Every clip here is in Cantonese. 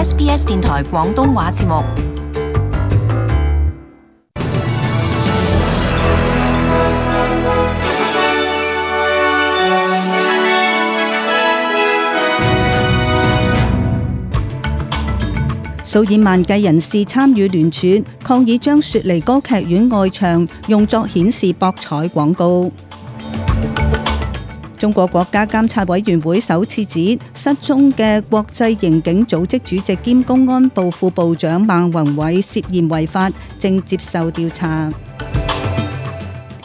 SBS 電台廣東話節目。數以萬計人士參與聯署抗議，將雪梨歌劇院外牆用作顯示博彩廣告。中國國家監察委員會首次指失蹤嘅國際刑警組織主席兼公安部副部長孟宏偉涉嫌違法，正接受調查。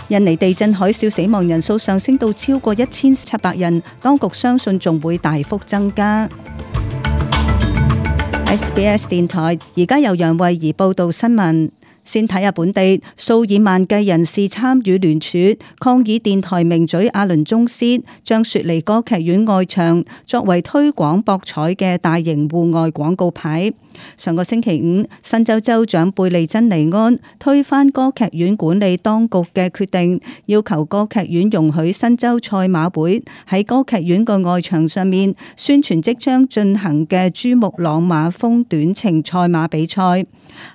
印尼地震海嘯死亡人數上升到超過1700人，當局相信仲會大幅增加。SBS 電台而家由楊慧儀報道新聞。先睇下本地，數以萬計人士參與聯署抗議電台名嘴阿倫宗斯將雪梨歌劇院外牆作為推廣博彩嘅大型戶外廣告牌。上個星期五，新州州長貝利珍尼安推翻歌劇院管理當局嘅決定，要求歌劇院容許新州賽馬會喺歌劇院個外牆上面宣傳即將進行嘅珠穆朗瑪峰短程賽馬比賽。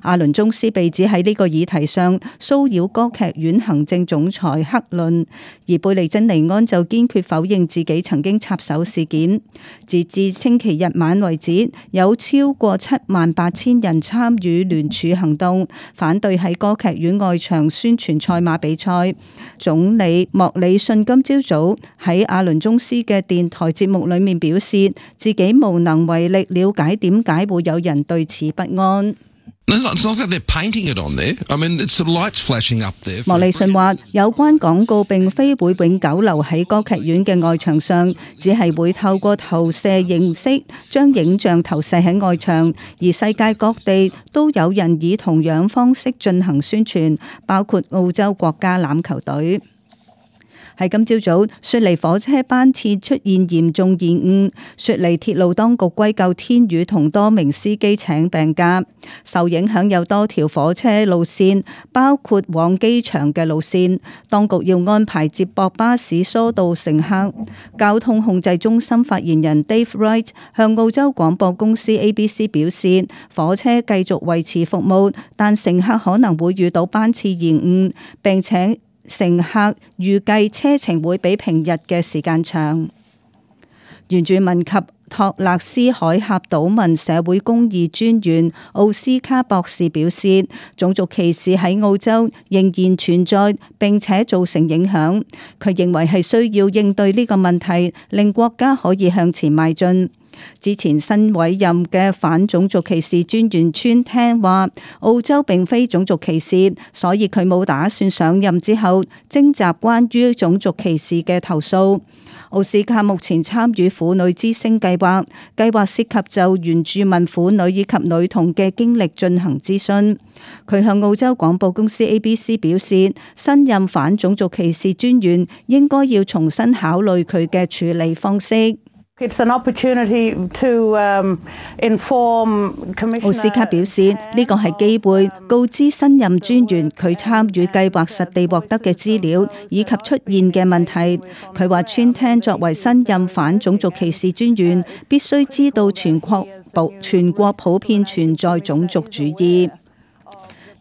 阿倫宗斯被指喺呢個議題上騷擾歌劇院行政總裁克倫，而貝利珍尼安就堅決否認自己曾經插手事件。截至星期日晚為止，有超過78000人參與聯署行動，反對喺歌劇院外牆宣傳賽馬比賽。總理莫里遜今朝早喺阿倫宗斯嘅電台節目裏面表示，自己無能為力了解點解會有人對此不安。莫里遜話：有關廣告並非會永久留喺歌劇院嘅外牆上，只係會透過投射形式將影像投射喺外牆，而世界各地都有人以同樣方式進行宣傳，包括澳洲國家欖球隊。喺今朝早，雪梨火車班次出現嚴重延誤，雪梨鐵路當局歸咎天雨同多名司機請病假。受影響有多條火車路線，包括往機場嘅路線，當局要安排接駁巴士疏導乘客。交通控制中心發言人 Dave Wright 向澳洲廣播公司 ABC 表示，火車繼續維持服務，但乘客可能會遇到班次延誤，並且乘客預計車程會比平日嘅時間長。原住民及托勒斯海峽島民社會公義專員奧斯卡博士表示，種族歧視喺澳洲仍然存在，並且造成影響。佢認為係需要應對呢個問題，令國家可以向前邁進。之前新委任嘅反種族歧視專員川聽話，澳洲並非種族歧視，所以佢冇打算上任之後徵集關於種族歧視嘅投訴。奧斯卡目前參與婦女之聲計劃，計劃涉及就原住民婦女以及女童嘅經歷進行諮詢。佢向澳洲廣播公司 ABC 表示，新任反種族歧視專員應該要重新考慮佢嘅處理方式。奧斯卡表示，呢個係機會告知新任專員佢參與計劃實地獲得嘅資料以及出現嘅問題。佢話川聽作為新任反種族歧視專員，必須知道全國普遍存在種族主義。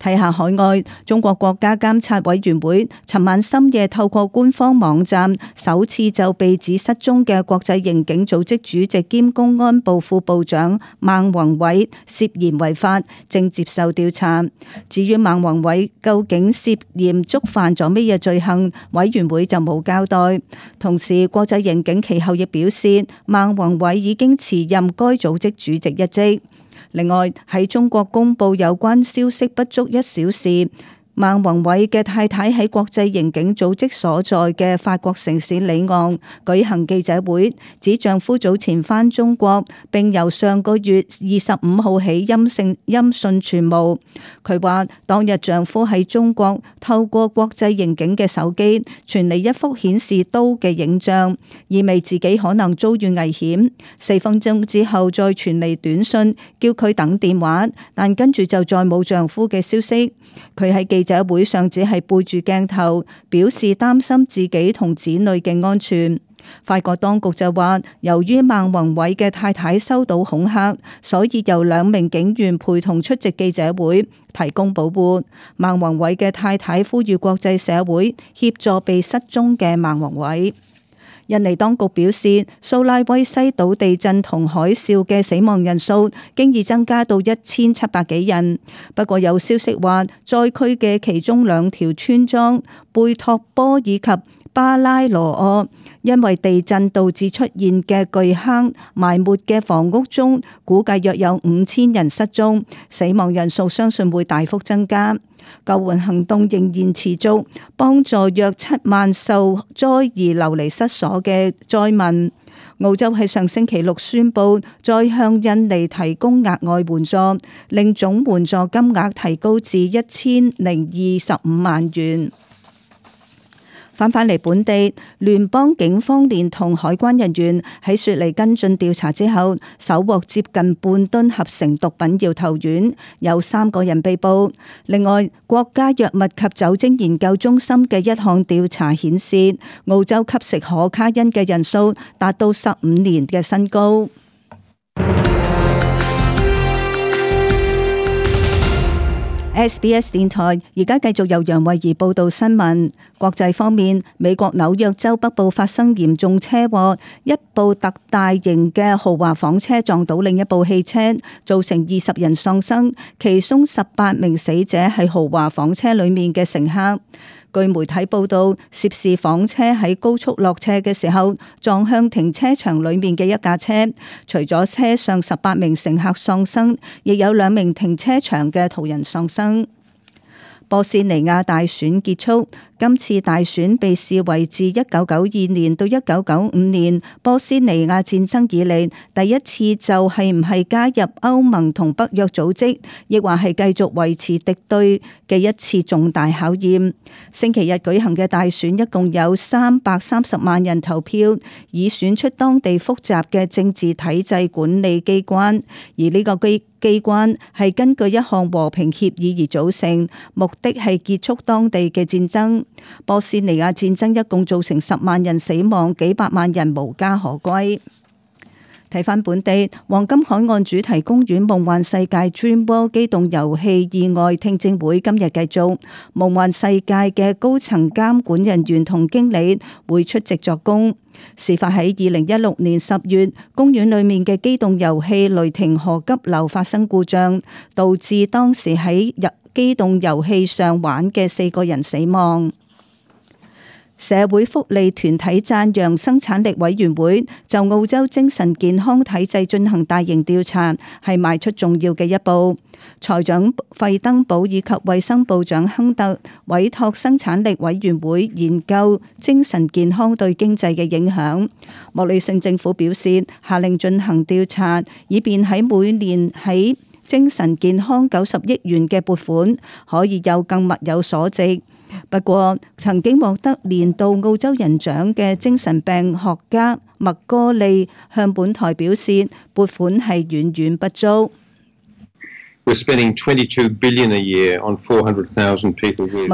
睇下海外，中國國家監察委員會尋晚深夜透過官方網站首次就被指失蹤嘅國際刑警組織主席兼公安部副部長孟宏偉涉嫌違法，正接受調查。至於孟宏偉究竟涉嫌觸犯咗咩嘢罪行，委員會就冇交代。同時，國際刑警其後亦表示，孟宏偉已經辭任該組織主席一職。另外，喺中國公布有關消息不足1小時，孟宏偉嘅太太喺國際刑警組織所在嘅法國城市里昂舉行記者會，指丈夫早前返中國，並由上個月25號起音訊全無。佢話當日丈夫喺中國透過國際刑警嘅手機傳嚟一幅顯示刀嘅影像，意味自己可能遭遇危險。4分鐘之後再傳嚟短信，叫佢等電話，但跟住就再冇丈夫嘅消息。佢喺記者會上只係背住鏡頭，表示擔心自己同子女嘅安全。法國當局就話，由於孟宏偉嘅太太收到恐嚇，所以由2名警員陪同出席記者會，提供保護。孟宏偉嘅太太呼籲國際社會協助被失蹤嘅孟宏偉。印尼當局表示，蘇拉威西島地震同海嘯嘅死亡人數經已增加到1700幾人。不過有消息話，災區嘅其中2條村莊貝托波以及巴拉羅厄，因為地震導致出現嘅巨坑埋沒嘅房屋中，估計約有5000人失蹤，死亡人數相信會大幅增加。救援行動仍然持續，幫助約7萬受災而流離失所嘅災民。澳洲喺上星期6宣布再向印尼提供額外援助，令總援助金額提高至1025萬元。返嚟本地，聯邦警方連同海關人員喺雪梨跟進調查之後，搜獲接近半噸合成毒品搖頭丸，有3個人被捕。另外，國家藥物及酒精研究中心嘅一項調查顯示，澳洲吸食可卡因嘅人數達到15年嘅新高。SBS 電台而家繼續由楊慧儀報道新聞。國際方面，美國紐約州北部發生嚴重車禍，一部特大型嘅豪華房車撞到另一部汽車，造成20人喪生，其中18名死者係豪華房車裏面嘅乘客。據媒體報道，涉事房車喺高速落斜嘅時候撞向停車場裏面嘅一架車，除咗車上18名乘客喪生，亦有2名停車場嘅途人喪生。波斯尼亞大選結束，今次大選被視為自1992年到1995年波斯尼亞戰爭以嚟第一次就係唔係加入歐盟同北約組織，亦或係繼續維持敵對嘅一次重大考驗。星期日舉行嘅大選一共有330萬人投票，以選出當地複雜嘅政治體制管理機關，而呢個機關係根據一項和平協議而組成，目的係結束當地嘅戰爭。波斯尼亞戰爭一共造成10萬人死亡，幾百萬人無家可歸。睇返本地，黃金海岸主題公園夢幻世界 Dream World 機動遊戲意外聽證會今日繼續，夢幻世界嘅高層監管人員同經理會出席作供。事發喺2016年10月，公園裏面嘅機動遊戲雷霆河急流發生故障，導致當時喺機動遊戲上玩嘅4個人死亡。社會福利團體讚揚生產力委員會就澳洲精神健康體制進行大型調查，係邁出重要嘅一步。財長費登堡以及衛生部長亨特委託生產力委員會研究精神健康對經濟嘅影響。莫里遜政府表示，下令進行調查，以便喺每年喺精神健康90億元嘅撥款可以有更物有所值。不過，曾經獲得年度澳洲人獎嘅精神病學家麥哥利向本台表示，撥款係遠遠不足。麥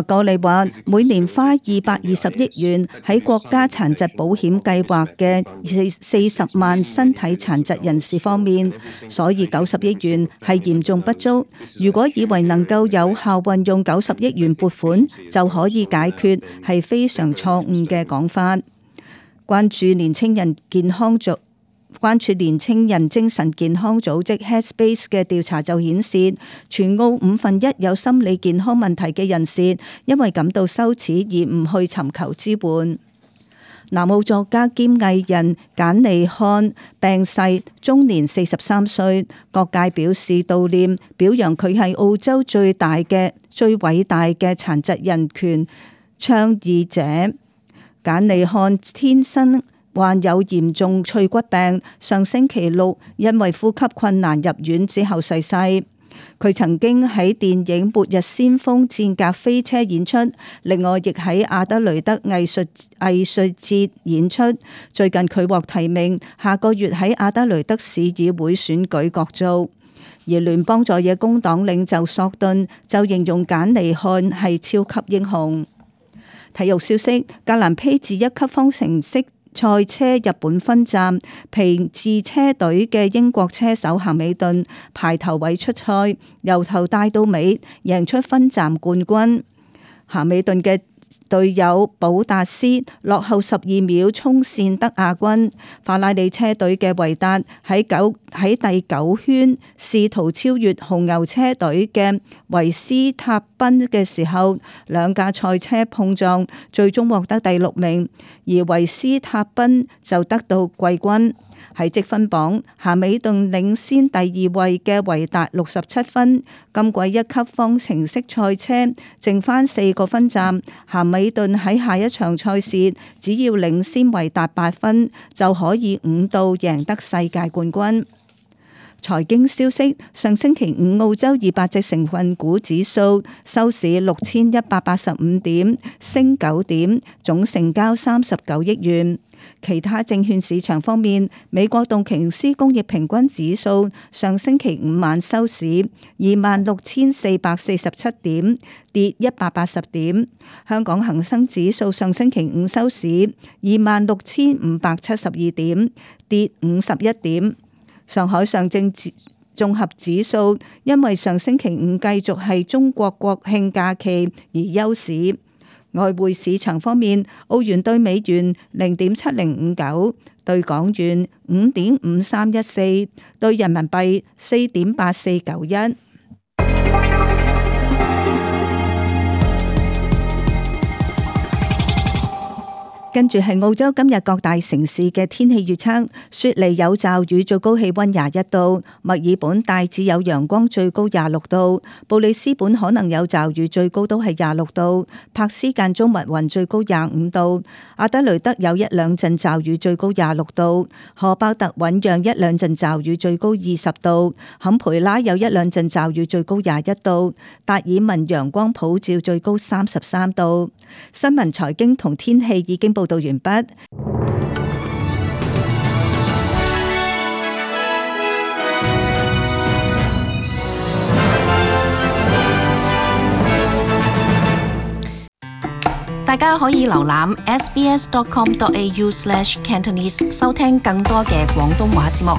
哥利話：每年花220億元喺國家殘疾保險計劃嘅40萬身體殘疾人士方面，所以90億元係嚴重不足。如果以為能夠有效運用90億元撥款就可以解決，係非常錯誤嘅講法。關注年青人精神健康組織 Headspace 嘅調查就顯示，全澳1/5有心理健康問題嘅人士，因為感到羞恥而唔去尋求支援。南澳作家兼藝人簡尼漢病逝，終年43歲，各界表示悼念，表揚佢係澳洲最偉大嘅殘疾人權倡議者。簡尼漢天生患有嚴重脆骨病，上星期6因為呼吸困難入院之後逝世。佢曾經喺電影《末日先鋒：戰甲飛車》演出，另外亦喺亞德雷德藝術節演出。最近佢獲提名，下個月喺亞德雷德市議會選舉角逐。而聯邦在野工黨領袖索頓就形容簡尼漢係超級英雄。體育消息：格蘭披治1級方程式賽車日本分站，皮治車隊嘅英國車手咸美頓排頭位出賽，由頭帶到尾贏出分站冠軍。咸美頓嘅隊友保達斯落後12秒衝線得亞軍。法拉利車隊嘅維達喺第9圈試圖超越紅牛車隊嘅維斯塔賓嘅時候，兩架賽車碰撞，最終獲得第6名，而維斯塔賓就得到季軍。喺積分榜，咸美頓領先第2位嘅維達67分。今季一級方程式賽車剩返4個分站，咸美頓喺下一場賽事只要領先維達8分，就可以5度贏得世界冠軍。財經消息：上星期五澳洲200隻成分股指數收市6185點，升9點，總成交39億元。其他證券市場方面，美國道瓊斯工業平均指數上星期五晚收市26,447點，跌180點。香港恒生指數上星期五收市26,572點，跌51點。上海上證綜合指數因為上星期五繼續係中國國慶假期而休市。外匯市場方面，澳元兌美元0.7059，兌港元5.5314，兌人民幣4.8491。跟住係澳洲今日各大城市嘅天氣預測：雪梨有驟雨，最高氣溫21度；墨爾本大致有陽光，最高26度；布里斯本可能有驟雨，最高都係26度；柏斯間中密雲，最高25度；阿德雷德有1兩陣驟雨，最高26度；荷伯特醞釀1兩陣驟雨，最高20度；坎培拉有1兩陣驟雨，最高21度；達爾文陽光普照，最高33度。新聞、財經同天氣已經報道完畢。大家可以瀏覽 sbs.com.au/cantonese 收聽更多嘅廣東話節目。